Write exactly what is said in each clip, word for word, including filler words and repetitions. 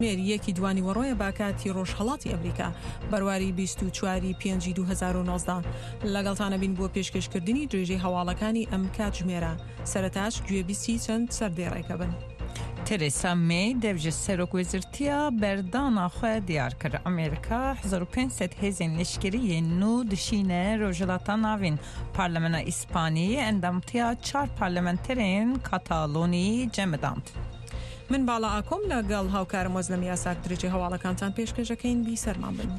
کاتژمێر یەکی دوانیوەڕۆیە بە کاتی ڕۆژهەڵاتی ئەمریکا، بەرواری بیست و چوار ی پێنجی دوو هەزار و نۆزدە. لەگەڵتانە بین بۆ پێشکێشکردنی درێژەی هەواڵەکانی ئەم کاتژمێرە. سەرەتاش گوێبیستی چەند سەردێڕێکە بن. تەرێسا مەی دەڤ ji serokwezîrtiya berdana xwe diyar kir. Amerîka hezar û pênc sed hêzên leşkerî yên nû dişîne Rojhilata Navîn. Parlamena Îspanî endamtiya çar parlamenterên Katalonî cemidand. من باڵا ئاکۆم لەگەڵ هاوکارم وەزلەم یاساک درێژەی هەواڵەکانتان پێشکەشەکەین. بیسەرمان بن.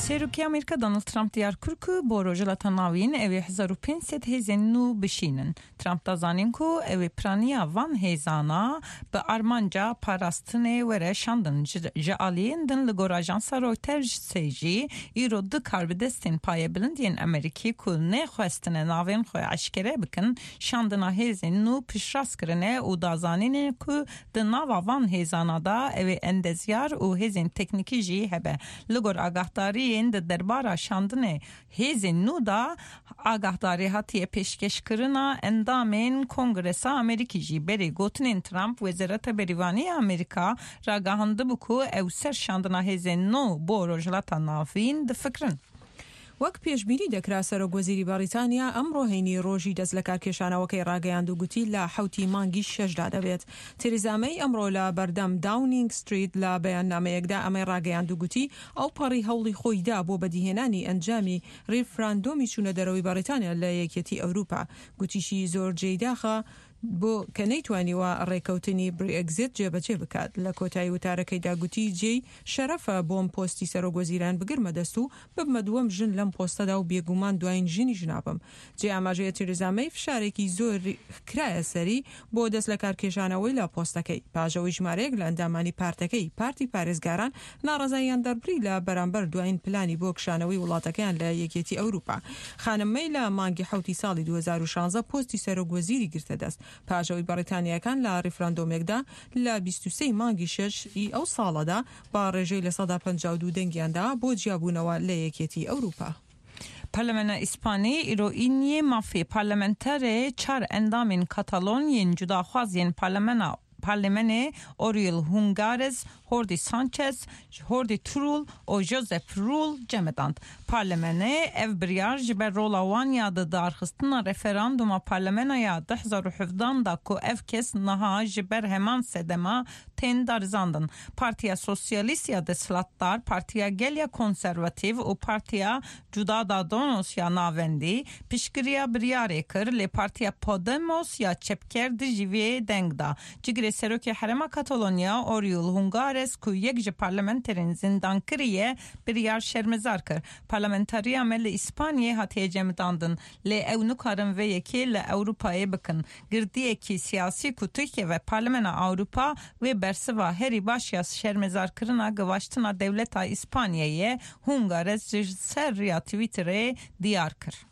Serokê Amerîka Donald Trump diyar kir ku bo Rojhilata Navîn ew ê hezar û pênc sed hêzên nû bişînin. Trump da zanîn ku ew ê piraniya van hêzana bi armanca parastinê were şandin. Ji aliyên din li gor ajansa Reutersê jî îro du karbidestên payebilind yên Amerîkî ku nexwestine navên xwe eşkere bikin, şandina hêzên nû piştrast kirine û da zanînê ku di nava van hêzana da ew ê endezyar û hêzên teknîkî jî hebe. Li gor agahdariyên di derbara şandinê hêzên nû da agahdarî hatiye pêşkêşkirina endamên Kongresa Amerîkî jî. Berê gotinên Trump Wezareta Berîvanî Amerîka ragihandibû ku ew ser şandina hêzên nû bo Rojhilata Navîn difikirin. وەک پێشبینی دەکرا سەرۆک وەزیری بەریتانیا ئەمڕۆ هەینی ڕۆژی دەست لە کارکێشانەوەکەی ڕاگەیاند و گوتی لە حەوتی مانگی شەشدا دەبێت. تێریزا مەی ئەمڕۆ لە بەردەم داونینگ ستریت لە بەیاننامەیەکدا ئەمەی ڕاگەیاند و گوتی ئەو پەڕی هەوڵی خۆی دا بۆ بەدیهێنانی ئەنجامی ڕیفراندۆمی چوونە دەرەوەی بەریتانیا لە یەکێتی ئەوروپا. گوتیشی زۆر جێی داخە بۆ کە نەیتوانیوە ڕێکەوتنی برێگزیت جێبەجێ بکات. لە کۆتایی وتارەکەیدا گوتی جێی شەرەفە بۆم پۆستی سەرۆک وەزیران بگرمە دەست و ببمە دووەم ژن لەم پۆستەدا و بێگومان دوایین ژنیش نابم. جێ ئاماژەیە تێریزا مەی فشارێکی زۆر کرایە سەری بۆ دەست لە کارکێشانەوەی لە پۆستەکەی. پاش ئەوەی ژمارەیەک لە ئەندامانی پارتەکەی پارتی پارێزگاران ناڕەزاییان دەربڕی لە بەرامبەر دوایین پلانی بۆ کشانەوەی وڵاتەکەیان لە یەکێتی ئەوروپا. خانم مەی لە مانگی حەوتی ساڵی دوو هەزار و شانزە پۆستی سەرۆک وەزیری گرتە دەست. پاش ئەوەی بەریتانیاکان لە ڕیفراندۆمێکدا لە بیست و سێ مانگی شەش ی ئەو ساڵەدا بە ڕێژەی لە سەدا پەنجا و دوو دەنگیاندا بۆ جیابوونەوە لە یەکێتی ئەوروپا. Parlamena Îspanî îro îniyê mafê parlamenterê çar endamên Katalon yên cudaxwaz yên parlamena parlamenê Oriol Junqueras, Jordi Sanchez, Jordi Turull û Josep Rull cemidand. Parlamenê ev biryar ji ber rola wan ya di darxistina referanduma parlamena ya du hezar û hevdan da ku ev kes niha ji ber heman sedema tên darizandin. Partiya Sosyalîst ya desthilatdar, Partiya Gel ya Konservatîv û Partiya Ciudadanos ya navendî piştgiriya biryarê kir, lê Partiya Podemos ya çepker dijî vê deng da. Cigirê Serokê Herêma Katalonya Oriol Junqueras ku yek ji parlamenterên zindankiriye biryar şermezar kir. Parlamentariya me li İspanyayê hatiye cemidandin, lê ew nikarin vê yekê li Ewropayê bikin. Girdiyekî siyasî ku Tirkiye ve Parlamena Ewropa wê bersiva herî baş ya şermezarkirina givaştina dewleta İspanyayê Junqueras ji ser riya Twitterê diyar kir.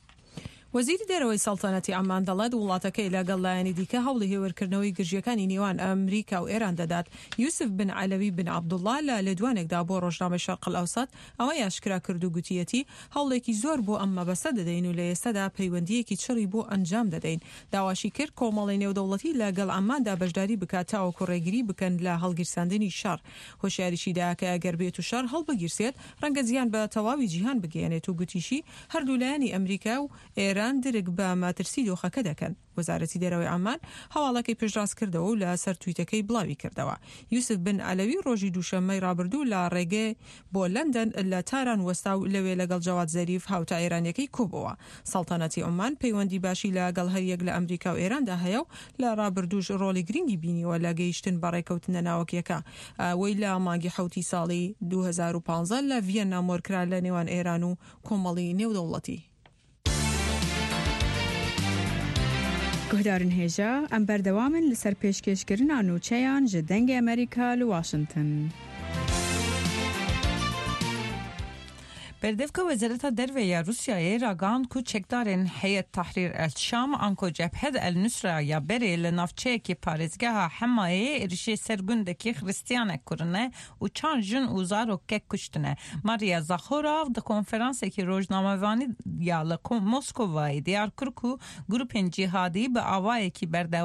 وەزیری دەرەوەی سەڵتەنەتی عەمان دەڵێت وڵاتەکەی لەگەڵ لایەنی دیکە هەوڵی هێورکردنەوەی گرژیەکانی نێوان ئەمریکا و ئێران دەدات. یوسف بن عەلەوی بن عەبدوڵڵا لە لێدوانێکدا بۆ ڕۆژنامەی شەرق ئەوسەت ئەوەی ئاشکرا کرد و گوتیەتی هەوڵێکی زۆر بۆ ئەم مەبەستە دەدەین و لە ئێستادا پەیوەندیەکی چڕی بۆ ئەنجام دەدەین. داواشی کرد کۆمەڵی نێودەوڵەتی لەگەڵ عەماندا بەشداری بکات تاوەکو ڕێگری بکەن لە هەڵگیرساندنی شەڕ. هۆشیاریشی دا کە ئەگەر بێت و شەڕ هەڵبگیرسێت ڕەنگە زیان بە تەواوی جیهان بگەیەنێت و گوتیشی هەردوو لایەنی ئەمریکا و ئێران درک بە مەترسی دۆخەکە دەکەن. وەزارەتی دەرەوەی عەمان هەواڵەکەی پشتڕاست کردەوە و لەسەر تویتەکەی بڵاوی کردەوە. یوسف بن عەلەوی ڕۆژی دووشەممەی ڕابردوو لە ڕێگەی بۆ لەندەن لە تاران وەستا و لەوێ لەگەڵ جەواد زەریف هاوتا ئێرانیەکەی کۆبەوە. سەڵتەنەتی عومان پەیوەندی باشی لەگەڵ هەریەک لە ئەمریکا و ئێراندا هەیە و لە ڕابردووش ڕۆڵی گرنگی بینیوە لە گەیشتن بە ڕێکەوتنە ناوەکیەکە. ئەوەی لە مانگی حەوتی ساڵی دوو هەزار و پانزە لە ڤیەننا مۆرکرا لە نێوان ئێران و کۆمەڵی نێودەوڵەتی. Guhdarên hêja, em berdewam in li ser pêşkêşkirina nûçeyan ji Dengê Amerîka li Washington. Berdevka Wezareta Derve ya Rûsyayê ragihand ku çekdarên Heyet Tehrîr El Şam anko Cebhet El Nusra ya berê li navçeyekî parêzgeha Hemayê êrişê ser gundekî Xristiyanek kirine û çar jin û zarokek kuştine. Maria Zakharova di konferansekî rojnamevanî ya li Moskovayê diyar kir ku grûpên cîhadî bi awayekî berdewam